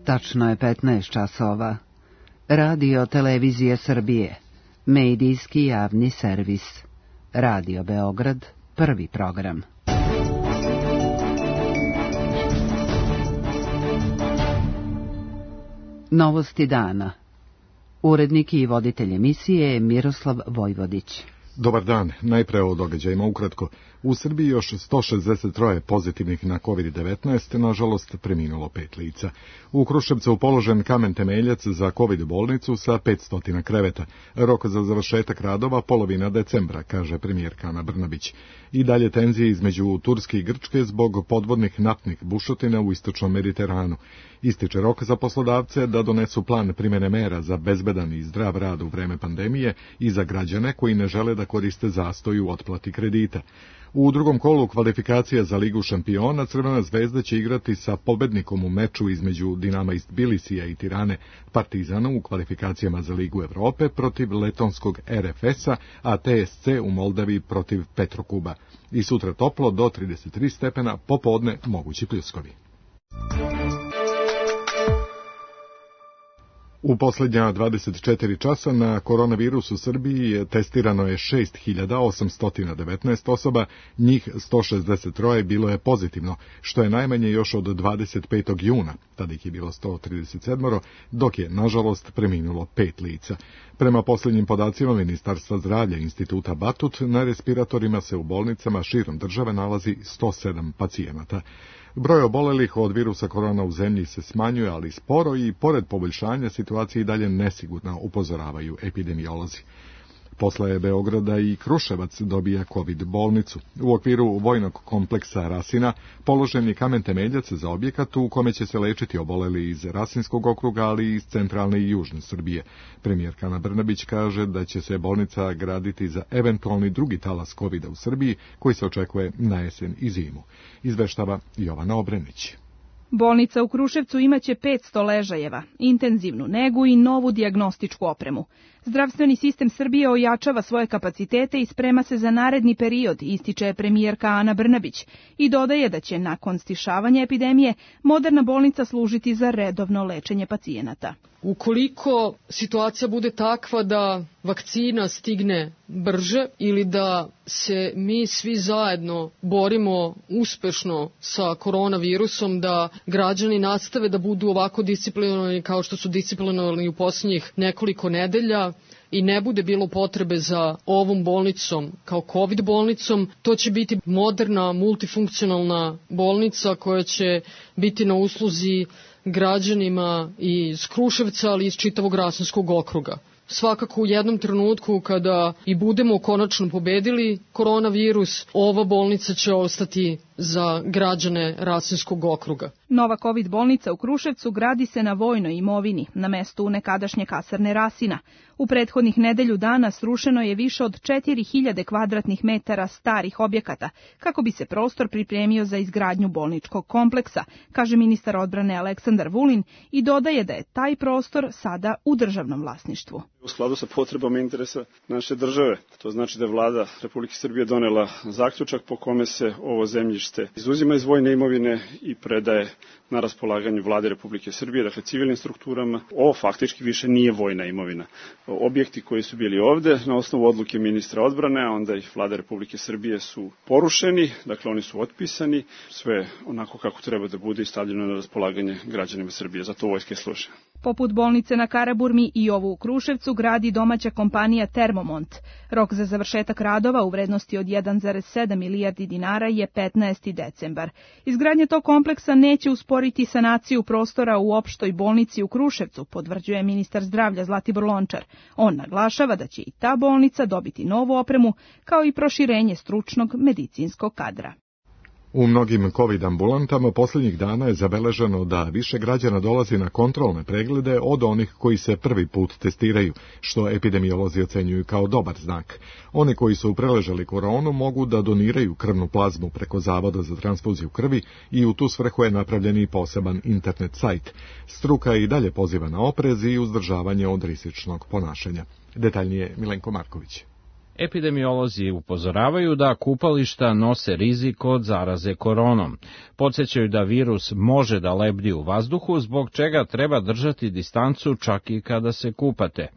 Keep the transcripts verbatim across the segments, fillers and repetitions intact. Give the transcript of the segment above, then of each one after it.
Tačno je petnaest časova. Radio Televizija Srbije, medijski javni servis. Radio Beograd, prvi program. Novosti dana. Urednik i voditelj emisije je Miroslav Vojvodić. Dobar dan, najpre o događajima ukratko. U Srbiji još sto šezdeset tri pozitivnih na kovid devetnaest, nažalost preminulo pet lica. U Kruševcu položen kamen temeljac za kovid bolnicu sa petsto kreveta. Rok za završetak radova polovina decembra, kaže premijerka Ana Brnabić. I dalje tenzije između Turske i Grčke zbog podvodnih naftnih bušotina u istočnom Mediteranu. Ističe rok za poslodavce da donesu plan primjene mera za bezbedan i zdrav rad u vreme pandemije i za građane koji ne žele da koriste zastoj u otplati kredita. U drugom kolu kvalifikacija za Ligu šampiona Crvena zvezda će igrati sa pobednikom u meču između Dinama iz Tbilisija i Tirane Partizana u kvalifikacijama za Ligu Evrope protiv letonskog er ef es-a, a te es ce u Moldavi protiv Petrokuba. I sutra toplo do trideset tri stepena, popodne mogući pljuskovi. U posljednja dvadeset četiri časa na koronavirus u Srbiji testirano je šest hiljada osamsto devetnaest osoba, njih sto šezdeset tri bilo je pozitivno, što je najmanje još od dvadeset petog juna, tada ih je bilo sto trideset sedam, dok je, nažalost, preminulo pet lica. Prema posljednjim podacima Ministarstva zdravlja Instituta Batut, na respiratorima se u bolnicama širom države nalazi sto sedam pacijenata. Broj obolelih od virusa korona u zemlji se smanjuje, ali sporo i pored poboljšanja situacije i dalje nesigurna, upozoravaju epidemiolozi. Posle Beograda i Kruševac dobija kovid bolnicu. U okviru vojnog kompleksa Rasina položen je kamen temeljac za objekat u kome će se lečiti oboleli iz Rasinskog okruga, ali i iz centralne i južne Srbije. Premijerka Ana Brnabić kaže da će se bolnica graditi za eventualni drugi talas kovida u Srbiji, koji se očekuje na jesen i zimu. Izveštava Jovana Obrenić. Bolnica u Kruševcu imaće petsto ležajeva, intenzivnu negu i novu dijagnostičku opremu. Zdravstveni sistem Srbije ojačava svoje kapacitete i sprema se za naredni period, ističe premijerka Ana Brnabić i dodaje da će nakon stišavanja epidemije moderna bolnica služiti za redovno lečenje pacijenata. Ukoliko situacija bude takva da vakcina stigne brže ili da se mi svi zajedno borimo uspešno sa koronavirusom, da građani nastave da budu ovako disciplinovani kao što su disciplinovani u posljednjih nekoliko nedelja i ne bude bilo potrebe za ovom bolnicom kao COVID bolnicom, to će biti moderna, multifunkcionalna bolnica koja će biti na usluzi građanima iz Kruševca, ali iz čitavog Rasinskog okruga. Svakako u jednom trenutku kada i budemo konačno pobedili koronavirus, ova bolnica će ostati za građane Rasinskog okruga. Nova COVID bolnica u Kruševcu gradi se na vojnoj imovini, na mestu nekadašnje kasarne Rasina. U prethodnih nedelju dana srušeno je više od četiri hiljade kvadratnih metara starih objekata, kako bi se prostor pripremio za izgradnju bolničkog kompleksa, kaže ministar odbrane Aleksandar Vulin i dodaje da je taj prostor sada u državnom vlasništvu. U skladu sa potrebama interesa naše države, to znači da je vlada Republike Srbije donela zaključak po kome se ovo zemljište izuzima iz vojne imovine i predaje na raspolaganju vlade Republike Srbije, dakle civilnim strukturama. Ovo faktički više nije vojna imovina. Objekti koji su bili ovde na osnovu odluke ministra odbrane, a onda ih vlade Republike Srbije su porušeni, dakle oni su otpisani, sve onako kako treba da bude i stavljeno na raspolaganje građanima Srbije, zato vojske služe. Poput bolnice na Karaburmi i ovu u Kruševcu gradi domaća kompanija Termomont. Rok za završetak radova u vrednosti od jedan zarez sedam milijardi dinara je petnaesti decembar. Izgradnja tog kompleksa neće usporiti sanaciju prostora u opštoj bolnici u Kruševcu, potvrđuje ministar zdravlja Zlatibor Lončar. On naglašava da će i ta bolnica dobiti novu opremu, kao i proširenje stručnog medicinskog kadra. U mnogim COVID ambulantama posljednjih dana je zabeleženo da više građana dolazi na kontrolne preglede od onih koji se prvi put testiraju, što epidemiolozi ocenjuju kao dobar znak. Oni koji su preležali koronu mogu da doniraju krvnu plazmu preko Zavoda za transfuziju krvi i u tu svrhu je napravljen i poseban internet sajt. Struka i dalje poziva na oprez i uzdržavanje od rizičnog ponašanja. Detaljnije Milenko Marković. Epidemiolozi upozoravaju da kupališta nose rizik od zaraze koronom. Podsjećaju da virus može da lebdi u vazduhu, zbog čega treba držati distancu čak i kada se kupate.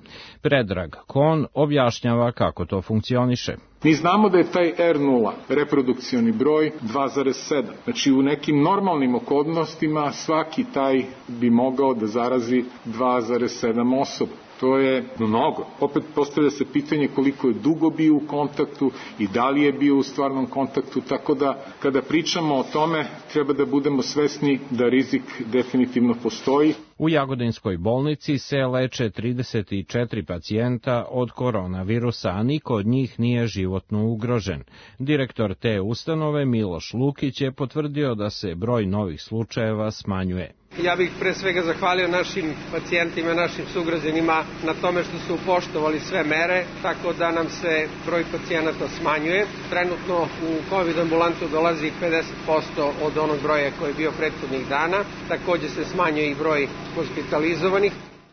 Predrag Kon objašnjava kako to funkcioniše. Mi znamo da je taj er nula reprodukcioni broj dva zarez sedam. Znači u nekim normalnim okolnostima svaki taj bi mogao da zarazi dva zarez sedam osoba. To je mnogo. Opet postavlja se pitanje koliko je dugo bio u kontaktu i da li je bio u stvarnom kontaktu, tako da kada pričamo o tome treba da budemo svesni da rizik definitivno postoji. U Jagodinskoj bolnici se leče trideset četiri pacijenta od koronavirusa, a niko od njih nije životno ugrožen. Direktor te ustanove Miloš Lukić je potvrdio da se broj novih slučajeva smanjuje. Ja bih pre svega zahvalio našim pacijentima, našim sugrađanima na tome što su poštovali sve mere, tako da nam se broj pacijenata smanjuje. Trenutno u COVID ambulantu dolazi pedeset posto od onog broja koji je bio prethodnih dana. Takođe se smanjuje i broj hospitalizovanih.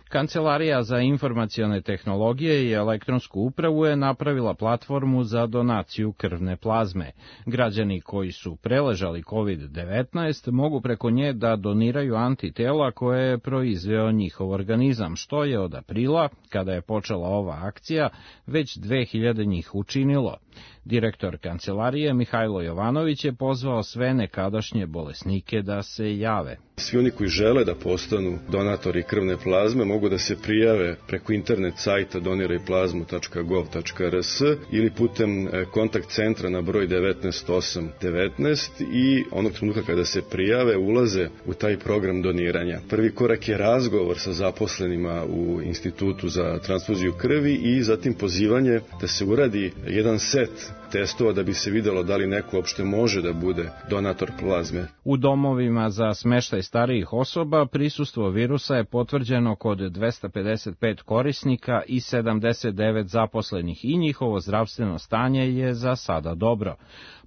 Kancelarija za informacione tehnologije i elektronsku upravu je napravila platformu za donaciju krvne plazme. Građani koji su preležali kovid devetnaest mogu preko nje da doniraju antitela koje je proizveo njihov organizam, što je od aprila, kada je počela ova akcija, već dve hiljade njih učinilo. Direktor kancelarije Mihajlo Jovanović je pozvao sve nekadašnje bolesnike da se jave. Svi oni koji žele da postanu donatori krvne plazme mogu da se prijave preko internet sajta doniraj plazmu tačka gov tačka er es ili putem kontakt centra na broj devetnaest osam devetnaest i onog trenutka kada se prijave ulaze u taj program doniranja. Prvi korak je razgovor sa zaposlenima u Institutu za transfuziju krvi i zatim pozivanje da se uradi jedan set testova da bi se videlo da li neko uopšte može da bude donator plazme. U domovima za smeštaj starijih osoba prisustvo virusa je potvrđeno kod dvesta pedeset pet korisnika i sedamdeset devet zaposlenih i njihovo zdravstveno stanje je za sada dobro.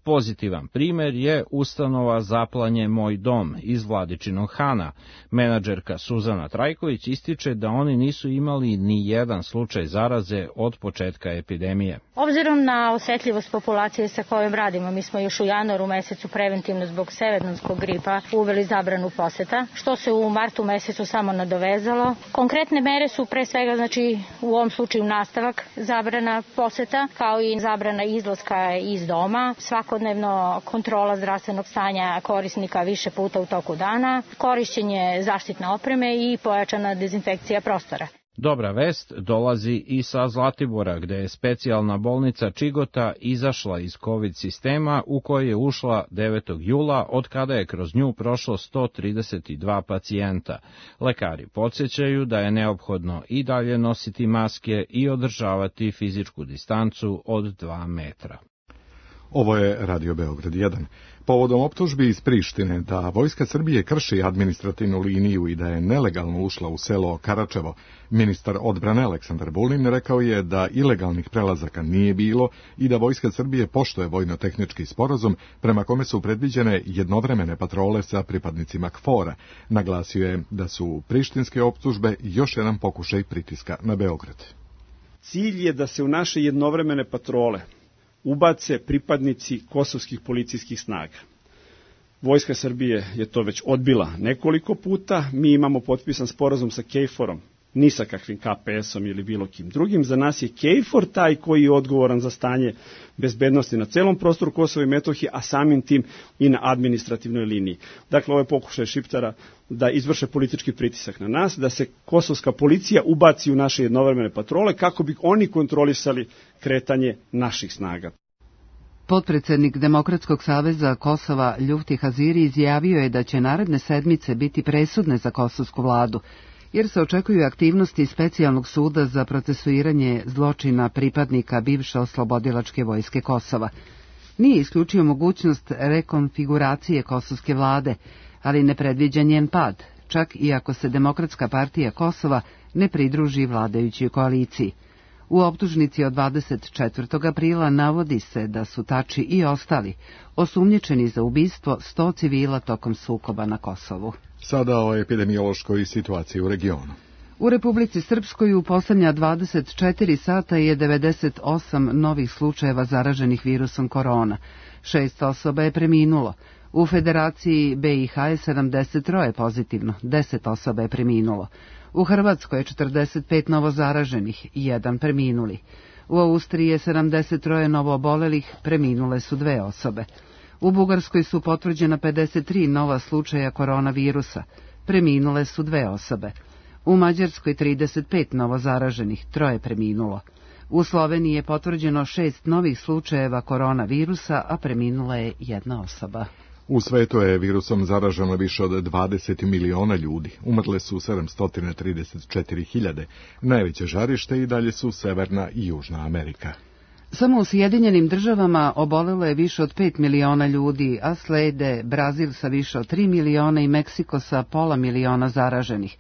Pozitivan primer je ustanova Zaplanje Moj dom iz Vladičinog Hana. Menadžerka Suzana Trajković ističe da oni nisu imali ni jedan slučaj zaraze od početka epidemije. Obzirom na osetljivost populacije sa kojom radimo, mi smo još u januaru mesecu preventivno zbog severnonskog gripa uveli zabranu poseta, što se u martu mesecu samo nadovezalo. Konkretne mere su pre svega, znači u ovom slučaju nastavak zabrana poseta, kao i zabrana izlaska iz doma, svakodnevno kontrola zdravstvenog stanja korisnika više puta u toku dana, korišćenje zaštitne opreme i pojačana dezinfekcija prostora. Dobra vest dolazi i sa Zlatibora, gde je specijalna bolnica Čigota izašla iz COVID sistema u koji je ušla devetog jula, od kada je kroz nju prošlo sto trideset dva pacijenta. Lekari podsjećaju da je neophodno i dalje nositi maske i održavati fizičku distancu od dva metra. Ovo je Radio Beograd jedan. Povodom optužbi iz Prištine da Vojska Srbije krši administrativnu liniju i da je nelegalno ušla u selo Karačevo, ministar odbrane Aleksandar Vulin rekao je da ilegalnih prelazaka nije bilo i da Vojska Srbije poštuje vojno-tehnički sporazum prema kome su predviđene jednovremene patrole sa pripadnicima KFOR-a. Naglasio je da su prištinske optužbe još jedan pokušaj pritiska na Beograd. Cilj je da se u naše jednovremene patrole ubace pripadnici kosovskih policijskih snaga. Vojska Srbije je to već odbila nekoliko puta, mi imamo potpisan sporazum sa KFOR-om, ni sa kakvim K P S-om ili bilo kim drugim. Za nas je KFOR taj koji je odgovoran za stanje bezbednosti na celom prostoru Kosova i Metohije, a samim tim i na administrativnoj liniji. Dakle, ovo je pokušaj Šiptara da izvrše politički pritisak na nas, da se kosovska policija ubaci u naše jednovremene patrole kako bi oni kontrolisali kretanje naših snaga. Potpredsednik Demokratskog saveza Kosova Ljufti Haziri izjavio je da će naredne sedmice biti presudne za kosovsku vladu, jer se očekuju aktivnosti specijalnog suda za procesuiranje zločina pripadnika bivše oslobodilačke vojske Kosova. Nije isključio mogućnost rekonfiguracije kosovske vlade, ali ne predviđa njen pad, čak i ako se Demokratska partija Kosova ne pridruži vladajućoj koaliciji. U optužnici od dvadeset četvrtog aprila navodi se da su Tači i ostali osumnjičeni za ubistvo sto civila tokom sukoba na Kosovu. Sada o epidemiološkoj situaciji u regionu. U Republici Srpskoj u posljednja dvadeset četiri sata je devedeset osam novih slučajeva zaraženih virusom korona. Šest osoba je preminulo. U Federaciji B i H je sedamdeset tri pozitivno, deset osoba je preminulo. U Hrvatskoj je četrdeset pet novozaraženih, jedan preminuli. U Austriji je sedamdeset tri novoobolelih, preminule su dve osobe. U Bugarskoj su potvrđena pedeset tri nova slučaja koronavirusa, preminule su dve osobe. U Mađarskoj trideset pet novozaraženih, troje preminulo. U Sloveniji je potvrđeno šest novih slučajeva koronavirusa, a preminula je jedna osoba. U svetu je virusom zaraženo više od dvadeset miliona ljudi. Umrle su sedamsto trideset četiri hiljade. Najveće žarište i dalje su Severna i Južna Amerika. Samo u Sjedinjenim državama obolelo je više od pet miliona ljudi, a slede Brazil sa više od tri miliona i Meksiko sa pola miliona zaraženih.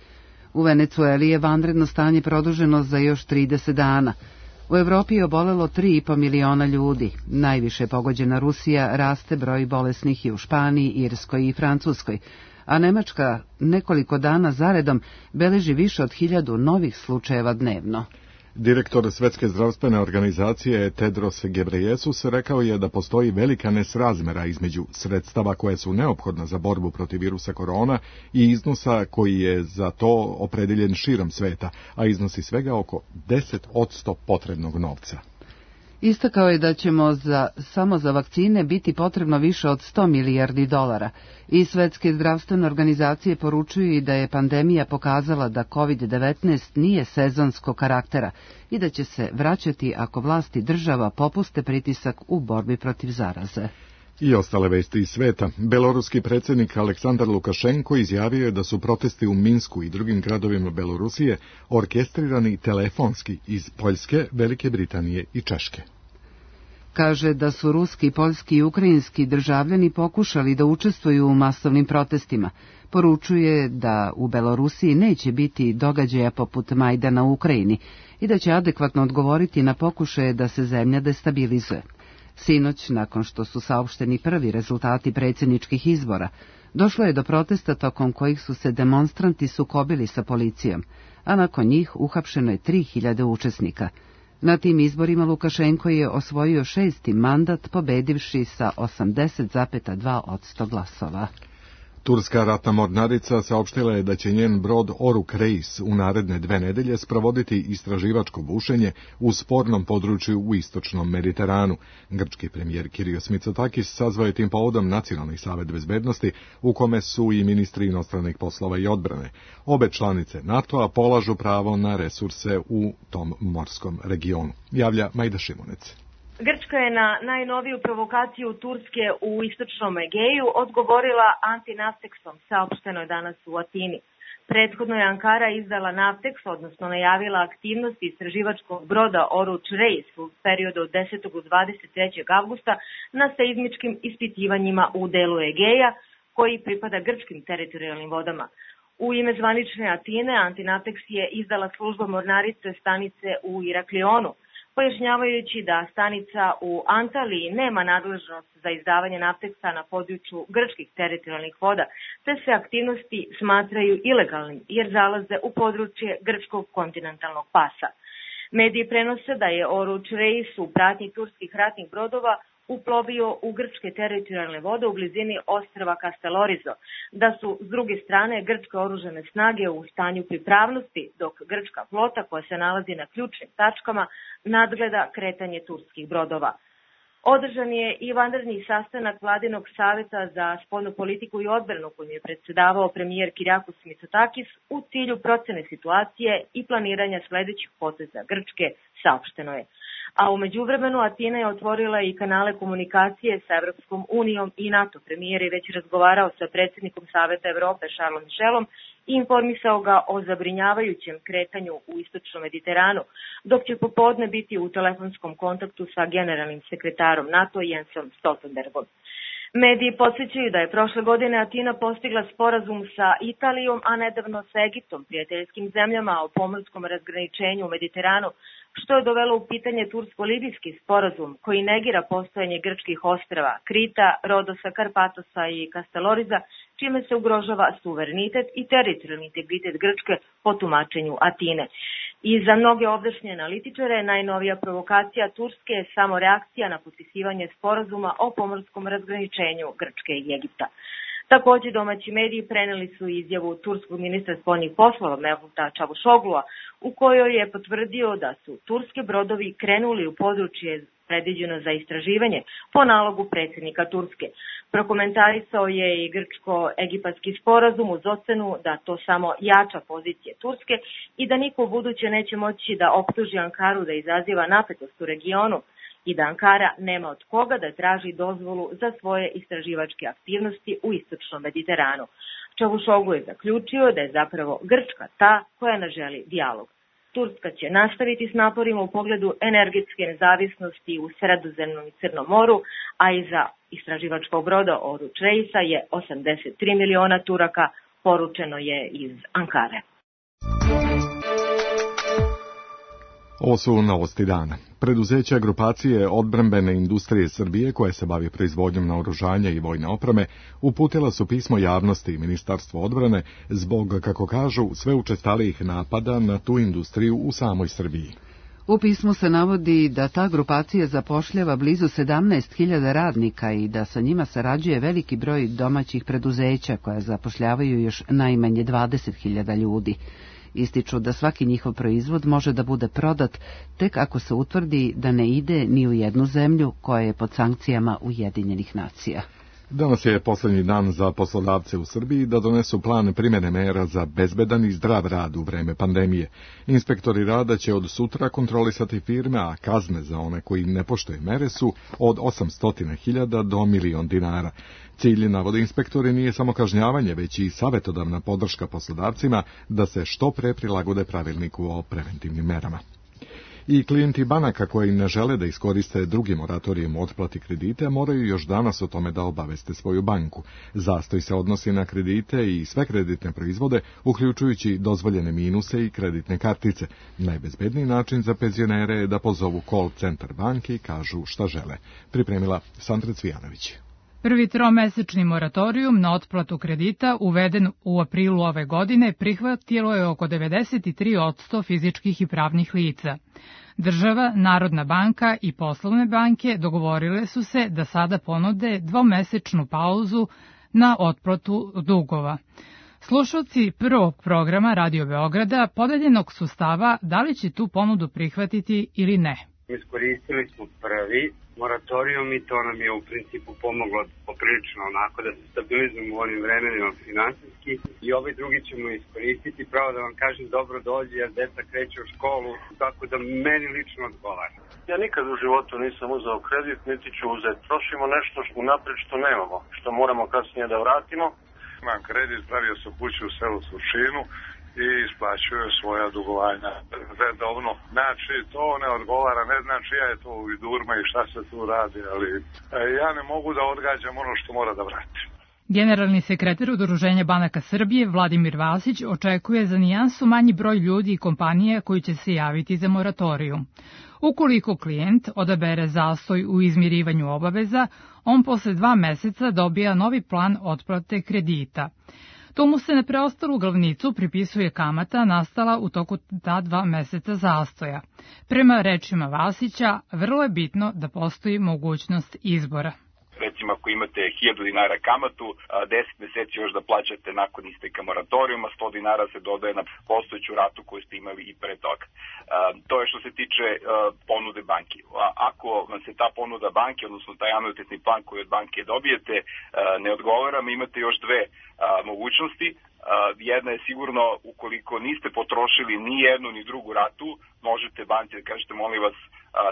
U Venecueli je vanredno stanje produženo za još trideset dana. U Evropi je obolelo tri i po miliona ljudi. Najviše pogođena Rusija, raste broj bolesnih i u Španiji, Irskoj i Francuskoj, a Nemačka nekoliko dana zaredom beleži više od hiljadu novih slučajeva dnevno. Direktor Svetske zdravstvene organizacije Tedros Ghebreyesus rekao je da postoji velika nesrazmera između sredstava koje su neophodna za borbu protiv virusa korona i iznosa koji je za to opredeljen širom sveta, a iznosi svega oko deset posto potrebnog novca. Istakao je da ćemo za, samo za vakcine biti potrebno više od sto milijardi dolara i Svetske zdravstvene organizacije poručuju i da je pandemija pokazala da kovid devetnaest nije sezonskog karaktera i da će se vraćati ako vlasti država popuste pritisak u borbi protiv zaraze. I ostale vesti iz sveta. Beloruski predsjednik Aleksandar Lukašenko izjavio je da su protesti u Minsku i drugim gradovima Belorusije orkestrirani telefonski iz Poljske, Velike Britanije i Češke. Kaže da su ruski, poljski i ukrajinski državljani pokušali da učestvuju u masovnim protestima. Poručuje da u Belorusiji neće biti događaja poput Majdana u Ukrajini i da će adekvatno odgovoriti na pokušaje da se zemlja destabilizuje. Sinoć, nakon što su saopšteni prvi rezultati predsjedničkih izbora, došlo je do protesta tokom kojih su se demonstranti sukobili sa policijom, a nakon njih uhapšeno je tri hiljade učesnika. Na tim izborima Lukašenko je osvojio šesti mandat, pobedivši sa osamdeset zarez dva posto glasova. Turska ratna mornarica saopštila je da će njen brod Oruk Reis u naredne dve nedelje sprovoditi istraživačko bušenje u spornom području u istočnom Mediteranu. Grčki premijer Kyrios Mitsotakis sazvao je tim povodom Nacionalni savet bezbednosti, u kome su i ministri inostranih poslova i odbrane. Obe članice NATO-a polažu pravo na resurse u tom morskom regionu. Javlja Majda Šimunec. Grčka je na najnoviju provokaciju Turske u istočnom Egeju odgovorila antinafteksom, saopšteno je danas u Atini. Prethodno je Ankara izdala nafteks, odnosno najavila aktivnosti istraživačkog broda Oruč Reis u periodu od desetog do dvadeset trećeg avgusta na seizmičkim ispitivanjima u delu Egeja, koji pripada grčkim teritorijalnim vodama. U ime zvanične Atine, antinafteks je izdala služba mornarice stanice u Iraklionu, pojašnjavajući da stanica u Antaliji nema nadležnost za izdavanje nafteksa na području grčkih teritorijalnih voda, te se aktivnosti smatraju ilegalnim jer zalaze u područje grčkog kontinentalnog pasa. Mediji prenose da je Oruč Reis u pratnji turskih ratnih brodova uplovio u grčke teritorijalne vode u blizini ostrva Kastelorizo, da su s druge strane grčke oružane snage u stanju pripravnosti, dok grčka flota koja se nalazi na ključnim tačkama nadgleda kretanje turskih brodova. Održan je i vanredni sastanak Vladinog saveta za spoljnu politiku i odbranu kojim je predsedavao premijer Kyriakos Mitsotakis u cilju procene situacije i planiranja sledećih poteza Grčke, saopšteno je. A u međuvremenu Atina je otvorila i kanale komunikacije sa Evropskom unijom i NATO. Premijer je već razgovarao sa predsjednikom Saveta Evrope Charlesom Michelom i informisao ga o zabrinjavajućem kretanju u istočnom Mediteranu, dok će popodne biti u telefonskom kontaktu sa generalnim sekretarom NATO Jensom Stoltenbergom. Mediji podsjećaju da je prošle godine Atina postigla sporazum sa Italijom, a nedavno sa Egiptom, prijateljskim zemljama o pomorskom razgraničenju u Mediteranu, što je dovelo u pitanje tursko-libijski sporazum koji negira postojanje grčkih ostrava Krita, Rodosa, Karpatosa i Kasteloriza, čime se ugrožava suverenitet i teritorijalni integritet Grčke po tumačenju Atine. I za mnoge ovdašnje analitičare najnovija provokacija Turske je samo reakcija na potpisivanje sporazuma o pomorskom razgraničenju Grčke i Egipta. Takođe, domaći mediji preneli su izjavu turskog ministra spoljnih poslova Mevluta Čavušoglua, u kojoj je potvrdio da su turski brodovi krenuli u područje predviđeno za istraživanje po nalogu predsjednika Turske. Prokomentarisao je i grčko-egipatski sporazum uz ocenu da to samo jača pozicije Turske i da niko u buduće neće moći da optuži Ankaru da izaziva napetost u regionu i da Ankara nema od koga da traži dozvolu za svoje istraživačke aktivnosti u istočnom Mediteranu. Čavuşoglu je zaključio da je zapravo Grčka ta koja ne želi dijalog. Turska će nastaviti s naporima u pogledu energetske nezavisnosti u Sredozemnom i Crnom moru, a iza istraživačkog broda Oruç Reisa je osamdeset tri miliona Turaka, poručeno je iz Ankare. Ovo su novosti dana. Preduzeća grupacije odbrambene industrije Srbije, koje se bavi proizvodnjom naoružanja i vojne opreme, uputila su pismo javnosti i Ministarstvo odbrane zbog, kako kažu, sve učestalijih napada na tu industriju u samoj Srbiji. U pismu se navodi da ta grupacija zapošljava blizu sedamnaest hiljada radnika i da sa njima sarađuje veliki broj domaćih preduzeća koja zapošljavaju još najmanje dvadeset hiljada ljudi. Ističu da svaki njihov proizvod može da bude prodat tek ako se utvrdi da ne ide ni u jednu zemlju koja je pod sankcijama Ujedinjenih nacija. Danas je posljednji dan za poslodavce u Srbiji da donesu plan primjene mera za bezbedan i zdrav rad u vreme pandemije. Inspektori rada će od sutra kontrolisati firme, a kazne za one koji ne poštuju mere su od osamsto hiljada do milion dinara. Cilj, navode inspektori, nije samo kažnjavanje, već i savjetodavna podrška poslodavcima da se što pre prilagode pravilniku o preventivnim merama. I klijenti banaka koji ne žele da iskoriste drugi moratorijem u otplati kredite moraju još danas o tome da obaveste svoju banku. Zastoj se odnosi na kredite i sve kreditne proizvode, uključujući dozvoljene minuse i kreditne kartice. Najbezbedniji način za penzionere je da pozovu call centar banke i kažu šta žele. Pripremila Sandra Cvijanović. Prvi tromesečni moratorijum na otplatu kredita uveden u aprilu ove godine prihvatilo je oko devedeset tri posto fizičkih i pravnih lica. Država, Narodna banka i poslovne banke dogovorile su se da sada ponude dvomesečnu pauzu na otplatu dugova. Slušalci prvog programa Radio Beograda podeljenog su stava da li će tu ponudu prihvatiti ili ne. Iskoristili smo prvi moratorijum i to nam je u principu pomoglo poprilično onako da se stabilizujemo u ovim vremenima finansijski i ovaj drugi ćemo iskoristiti, pravo da vam kažem dobro dođe jer deca kreće u školu, tako da meni lično odgovara. Ja nikad u životu nisam uzeo kredit, niti ću uzeti. Trošimo nešto što unaprijed što nemamo, što moramo kasnije da vratimo. Imam kredit, pravio sam kuću u selu Surčinu i isplaćuju svoja dugovanja redovno. Znači, to ne odgovara, ne znači ja je to u vidurma i šta se tu radi, ali ja ne mogu da odgađam ono što mora da vratim. Generalni sekretar Udruženja banaka Srbije Vladimir Vasić očekuje za nijansu manji broj ljudi i kompanija koji će se javiti za moratorijum. Ukoliko klijent odabere zastoj u izmirivanju obaveza, on posle dva meseca dobija novi plan otplate kredita. To mu se na preostalu glavnicu pripisuje kamata nastala u toku ta dva meseca zastoja. Prema rečima Vasića, vrlo je bitno da postoji mogućnost izbora. Recimo, ako imate hiljadu dinara kamatu, deset meseci još da plaćate nakon isteka moratorijuma, sto dinara se dodaje na postojeću ratu koju ste imali i pre toga. To je što se tiče ponude banke. Ako vam se ta ponuda banke, odnosno taj anuitetni plan koji od banke dobijete, ne odgovara, imate još dve mogućnosti. Jedna je sigurno, ukoliko niste potrošili ni jednu ni drugu ratu, možete banci da kažete, molim vas,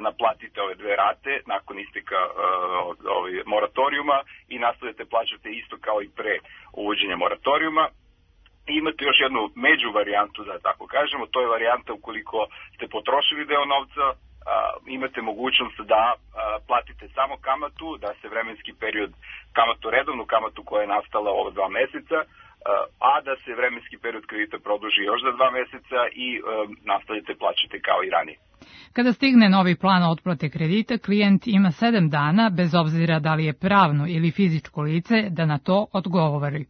naplatite ove dve rate nakon isteka ovaj, moratorijuma i nastavite plaćate isto kao i pre uvođenja moratorijuma. I imate još jednu među varijantu, da tako kažemo, to je varijanta ukoliko ste potrošili deo novca, imate mogućnost da platite samo kamatu, da se vremenski period kamatu, redovnu kamatu koja je nastala ova dva meseca, a da se vremenski period kredita produži još za dva meseca i nastavljate plaćati kao i ranije. Kada stigne novi plan otplate kredita, klijent ima sedam dana, bez obzira da li je pravno ili fizičko lice, da na to odgovori.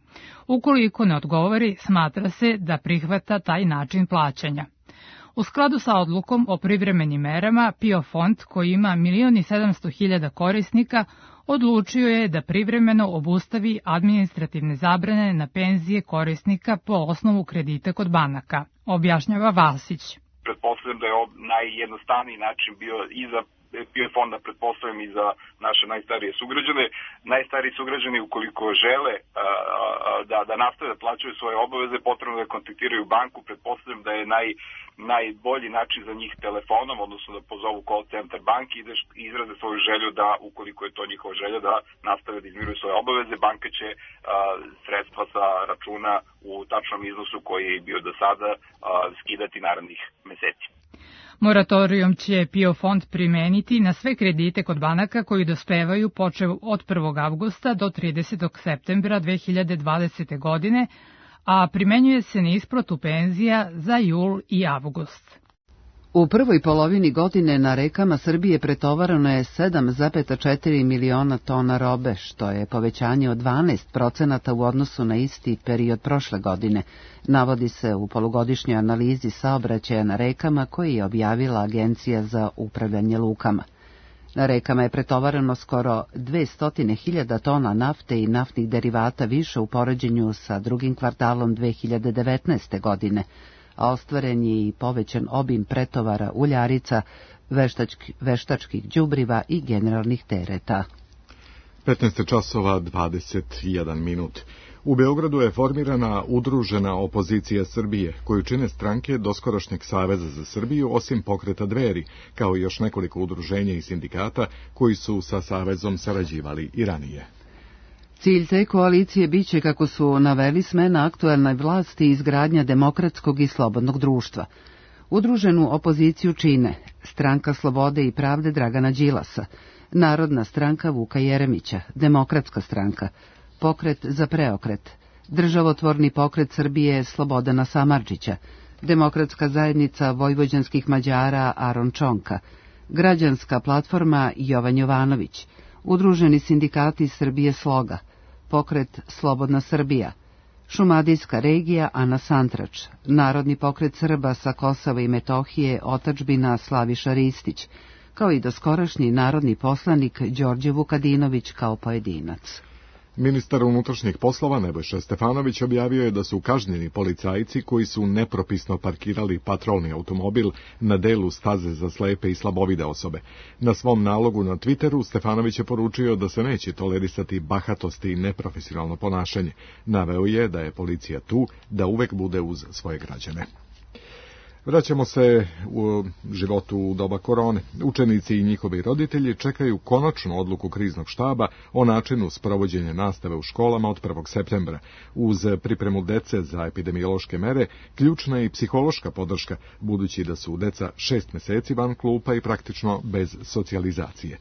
Ukoliko ne odgovori, smatra se da prihvata taj način plaćanja. U skladu sa odlukom o privremenim merama, PIO fond, koji ima milion i sedamsto hiljada korisnika, odlučio je da privremeno obustavi administrativne zabrane na penzije korisnika po osnovu kredita kod banaka, objašnjava Vasić. Pretpostavljam da je ovo najjednostavniji način bio i za PIO fonda, pretpostavljam i za naše najstarije sugrađane. Najstariji sugrađani, ukoliko žele a, a, da, da nastave da plaćaju svoje obaveze, potrebno da kontaktiraju banku. Pretpostavljam da je naj, najbolji način za njih telefonom, odnosno da pozovu call center banki i da izraze svoju želju da, ukoliko je to njihova želja, da nastave da izmiruju svoje obaveze. Banka će a, sredstva sa računa u tačnom iznosu koji je bio do sada a, skidati narednih meseci. Moratorijum će PIO fond primeniti na sve kredite kod banaka koji dospevaju počev od prvog avgusta do tridesetog septembra dve hiljade dvadesete. godine, a primenjuje se na isplatu penzija za jul i avgust. U prvoj polovini godine na rekama Srbije pretovarano je sedam zarez četiri miliona tona robe, što je povećanje od dvanaest procenata u odnosu na isti period prošle godine, navodi se u polugodišnjoj analizi saobraćaja na rekama koji je objavila Agencija za upravljanje lukama. Na rekama je pretovarano skoro dvesta hiljada tona nafte i naftnih derivata više u poređenju sa drugim kvartalom dve hiljade devetnaeste. godine, a ostvaren je i povećan obim pretovara uljarica, veštački, veštačkih đubriva i generalnih tereta. petnaest časova dvadeset jedan minut. U Beogradu je formirana udružena opozicija Srbije, koju čine stranke doskorašnjeg Saveza za Srbiju, osim pokreta Dveri, kao i još nekoliko udruženja i sindikata koji su sa Savezom sarađivali i ranije. Cilj te koalicije biće, kako su naveli, smena aktuelnoj vlasti i izgradnja demokratskog i slobodnog društva. Udruženu opoziciju čine Stranka slobode i pravde Dragana Đilasa, Narodna stranka Vuka Jeremića, Demokratska stranka, Pokret za preokret, Državotvorni pokret Srbije Slobodana Samardžića, Demokratska zajednica vojvođanskih Mađara Aron Čonka, Građanska platforma Jovan Jovanović, Udruženi sindikati Srbije Sloga, Pokret Slobodna Srbija, Šumadijska regija Ana Santrač, Narodni pokret Srba sa Kosova i Metohije Otadžbina Slaviša Ristić, kao i doskorašnji narodni poslanik Đorđe Vukadinović kao pojedinac. Ministar unutrašnjih poslova Nebojša Stefanović objavio je da su kažnjeni policajci koji su nepropisno parkirali patrolni automobil na delu staze za slepe i slabovide osobe. Na svom nalogu na Twitteru Stefanović je poručio da se neće tolerisati bahatosti i neprofesionalno ponašanje. Naveo je da je policija tu da uvek bude uz svoje građane. Vraćamo se u životu u doba korone. Učenici i njihovi roditelji čekaju konačnu odluku kriznog štaba o načinu sprovođenja nastave u školama od prvog septembra. Uz pripremu dece za epidemiološke mere, ključna je i psihološka podrška, budući da su deca šest meseci van klupa i praktično bez socijalizacije.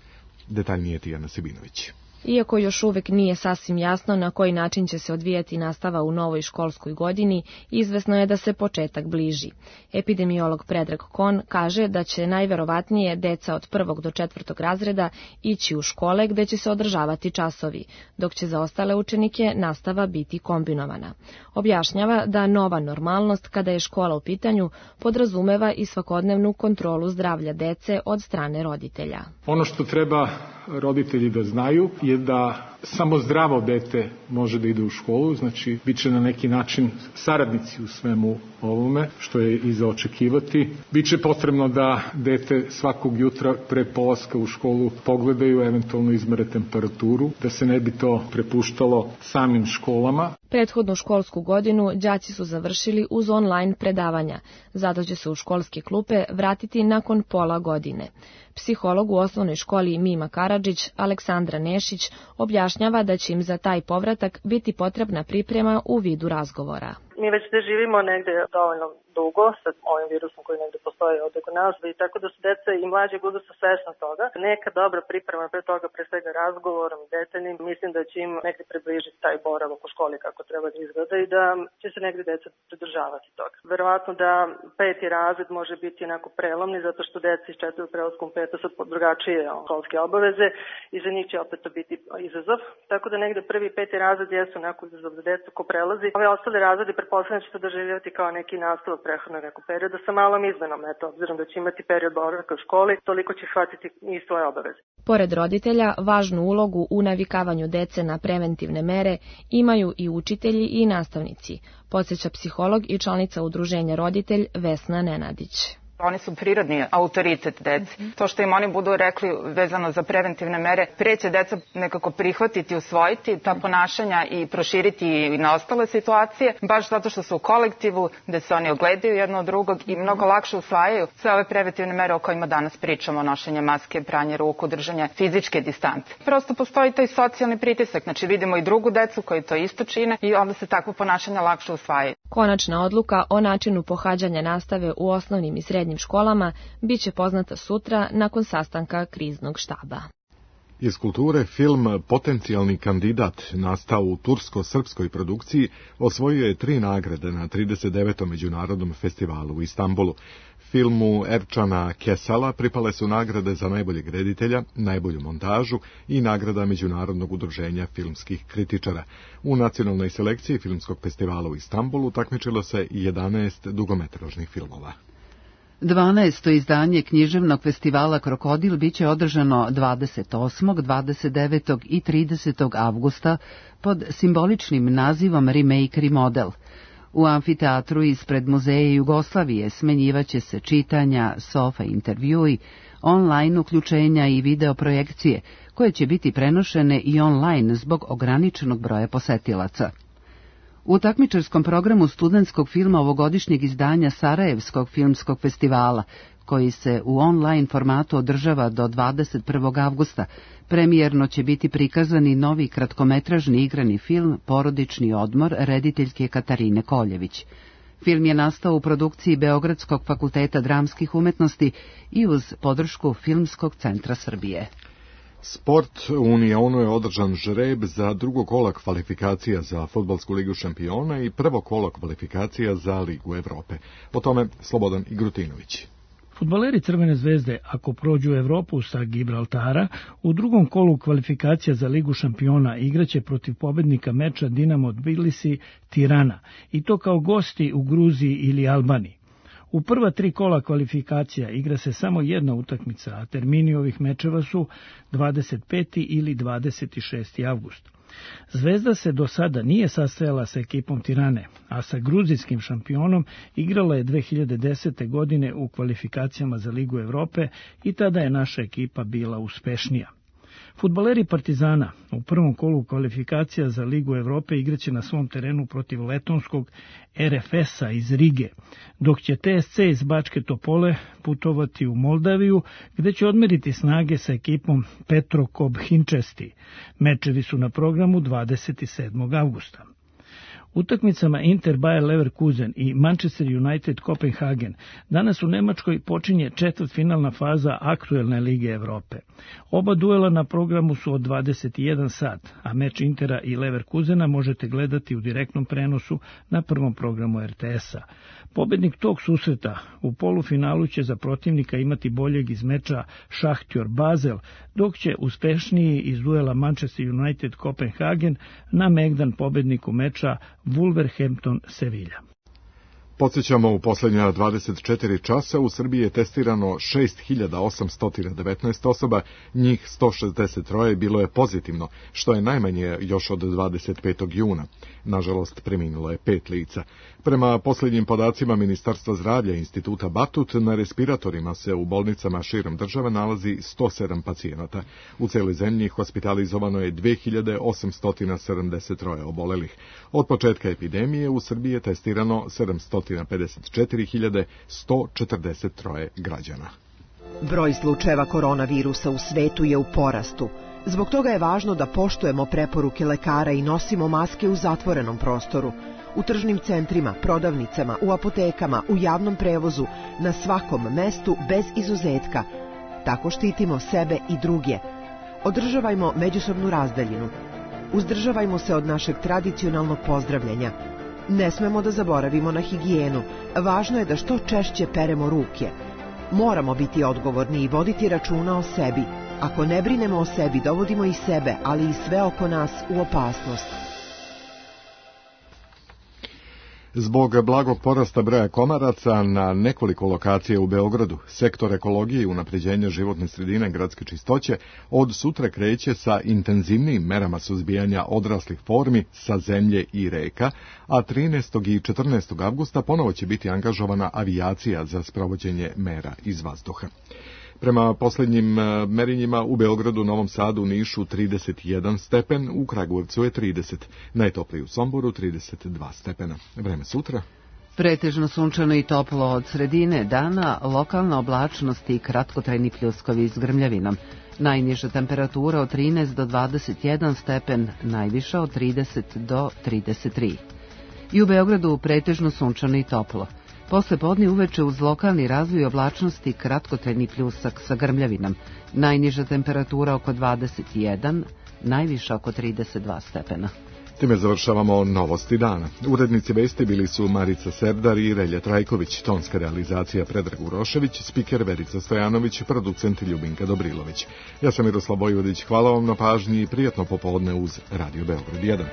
Detaljnije Tijana Sibinović. Iako još uvek nije sasvim jasno na koji način će se odvijati nastava u novoj školskoj godini, izvesno je da se početak bliži. Epidemiolog Predrag Kon kaže da će najverovatnije deca od prvog do četvrtog razreda ići u škole gde će se održavati časovi, dok će za ostale učenike nastava biti kombinovana. Objašnjava da nova normalnost, kada je škola u pitanju, podrazumeva i svakodnevnu kontrolu zdravlja dece od strane roditelja. Ono što treba roditelji da znaju je da samo zdravo dete može da ide u školu, znači bit će na neki način saradnici u svemu ovome, što je i za očekivati. Biće potrebno da dete svakog jutra pre polaska u školu pogledaju, eventualno izmere temperaturu, da se ne bi to prepuštalo samim školama. Prethodnu školsku godinu đaci su završili uz online predavanja, zato će se u školske klupe vratiti nakon pola godine. Psiholog u osnovnoj školi Mima Karadžić, Aleksandra Nešić, objašnjava da će im za taj povratak biti potrebna priprema u vidu razgovora. Mi već da živimo negde dovoljno dugo sa ovim virusom koji negde postoji ovde kod nas, i tako da su deca i mlađeg uzrasta svesna toga. Neka dobra priprema pre toga, pre svega razgovorom i detaljnim, mislim da će im negde približiti taj boravak u školi kako treba da izgleda i da će se negde deca pridržavati toga. Verovatno da peti razred može biti onako prelomni, zato što deca iz četvrtog prelaskom peta sad drugačije školske obaveze i za njih će opet to biti izazov. Tako da negde prvi i peti razred jesu onako izazov za decu ko prelazi. Ove ostale razrede pretpostavljam će se doživljavati kao neki nastavak prethodnog nekog perioda sa malom izmenom, eto, obzirom da će imati period boravka u školi, toliko će shvatiti i svoje obaveze. Pored roditelja, važnu ulogu u navikavanju dece na preventivne mere imaju i učitelji i nastavnici, podsjeća psiholog i članica udruženja Roditelj Vesna Nenadić. Oni su prirodni autoritet deci. To što im oni budu rekli vezano za preventivne mere, pre će deca nekako prihvatiti, usvojiti ta ponašanja i proširiti i na ostale situacije, baš zato što su u kolektivu, gde se oni ogledaju jedno od drugog i mnogo lakše usvajaju sve ove preventivne mere o kojima danas pričamo, nošenje maske, pranje ruku, držanje fizičke distance. Prosto postoji taj socijalni pritisak, znači vidimo i drugu decu koji to isto čine i onda se takvo ponašanja lakše usvajaju. Konačna odluka o načinu pohađanja nastave u osnovnim i srednjim školama biće poznata sutra nakon sastanka kriznog štaba. Iz kulture film Potencijalni kandidat, nastao u tursko-srpskoj produkciji, osvojio je tri nagrade na trideset devetom međunarodnom festivalu u Istanbulu. Filmu Erčana Kesala pripale su nagrade za najboljeg reditelja, najbolju montažu i nagrada Međunarodnog udruženja filmskih kritičara. U nacionalnoj selekciji filmskog festivala u Istanbulu takmičilo se jedanaest dugometražnih filmova. dvanaesto izdanje književnog festivala Krokodil biće održano dvadeset osmog, dvadeset devetog i tridesetog avgusta pod simboličnim nazivom Remake Remodel. U amfiteatru ispred Muzeja Jugoslavije smenjivaće se čitanja, sofa intervjui, online uključenja i video projekcije, koje će biti prenošene i online zbog ograničenog broja posetilaca. U takmičarskom programu studentskog filma ovogodišnjeg izdanja Sarajevskog filmskog festivala, koji se u online formatu održava do dvadeset prvog avgusta, premijerno će biti prikazani novi kratkometražni igrani film Porodični odmor rediteljke Katarine Koljević. Film je nastao u produkciji Beogradskog fakulteta dramskih umetnosti i uz podršku Filmskog centra Srbije. Sport, u Unionu je održan žreb za drugo kola kvalifikacija za Fudbalsku ligu šampiona i prvo kolo kvalifikacija za Ligu Evrope. Po tome Slobodan Igrutinović. Fudbaleri Crvene zvezde, ako prođu Evropu sa Gibraltara, u drugom kolu kvalifikacija za Ligu šampiona igraće protiv pobednika meča Dinamo Tbilisi Tirana, i to kao gosti u Gruziji ili Albaniji. U prva tri kola kvalifikacija igra se samo jedna utakmica, a termini ovih mečeva su dvadeset peti ili dvadeset šesti avgust. Zvezda se do sada nije sastajala sa ekipom Tirane, a sa gruzijskim šampionom igrala je dve hiljade desete. godine u kvalifikacijama za Ligu Evrope i tada je naša ekipa bila uspešnija. Fudbaleri Partizana u prvom kolu kvalifikacija za Ligu Evrope igraće na svom terenu protiv letonskog R F S-a iz Rige, dok će T S C iz Bačke Topole putovati u Moldaviju, gde će odmeriti snage sa ekipom Petro Kobhinčesti. Mečevi su na programu dvadeset sedmog avgusta. Utakmicama Inter Bayer Leverkusen i Manchester United Kopenhagen danas u Nemačkoj počinje četvrtfinalna faza aktuelne Lige Evrope. Oba duela na programu su od dvadeset jedan sat, a meč Intera i Leverkusena možete gledati u direktnom prenosu na prvom programu R T S-a. Pobednik tog susreta u polufinalu će za protivnika imati boljeg iz meča Šahtjor Basel, dok će uspešniji iz duela Manchester United Kopenhagen na megdan pobedniku meča Wolverhampton Sevilla. Podsjećamo, u posljednja dvadeset četiri časa u Srbiji je testirano šest hiljada osamsto devetnaest osoba, njih sto šezdeset tri bilo je pozitivno, što je najmanje još od dvadeset petog juna. Nažalost, preminulo je pet lica. Prema posljednjim podacima Ministarstva zdravlja i Instituta Batut, na respiratorima se u bolnicama širom države nalazi sto sedam pacijenata. U celoj zemlji hospitalizovano je dve hiljade osamsto sedamdeset tri obolelih. Od početka epidemije u Srbiji je testirano sedamsto pedeset četiri hiljade sto četrdeset tri građana. Broj slučajeva koronavirusa u svetu je u porastu. Zbog toga je važno da poštujemo preporuke lekara i nosimo maske u zatvorenom prostoru, u tržnim centrima, prodavnicama, u apotekama, u javnom prevozu, na svakom mestu bez izuzetka. Tako štitimo sebe i druge. Održavajmo međusobnu razdaljinu. Uzdržavajmo se od našeg tradicionalnog pozdravljanja. Ne smemo da zaboravimo na higijenu. Važno je da što češće peremo ruke. Moramo biti odgovorni i voditi računa o sebi. Ako ne brinemo o sebi, dovodimo i sebe, ali i sve oko nas u opasnost. Zbog blagog porasta broja komaraca na nekoliko lokacija u Beogradu, sektor ekologije i unapređenja životne sredine gradske čistoće od sutra kreće sa intenzivnijim merama suzbijanja odraslih formi sa zemlje i reka, a trinaestog i četrnaestog avgusta ponovo će biti angažovana avijacija za sprovođenje mera iz vazduha. Prema posljednjim merenjima u Beogradu, Novom Sadu, Nišu trideset jedan stepen, u Kragujevcu je trideset, najtopliji u Somboru trideset dva stepena. Vreme sutra. Pretežno sunčano i toplo od sredine dana, lokalna oblačnost i kratkotrajni pljuskovi s grmljavinom. Najniža temperatura od trinaest do dvadeset jedan stepen, najviša od trideset do trideset tri. I u Beogradu pretežno sunčano i toplo. Posle podne uveče uz lokalni razvoj oblačnosti kratkotrajni pljusak sa grmljavinom. Najniža temperatura oko dvadeset jedan, najviša oko trideset dva stepena. Time završavamo novosti dana. Urednici vesti bili su Marica Serdar i Relja Trajković, tonska realizacija Predrag Urošević, spiker Verica Stojanović, producent Ljubinka Dobrilović. Ja sam Miroslav Vojvodić, hvala vam na pažnji i prijatno popodne uz Radio Beograd jedan.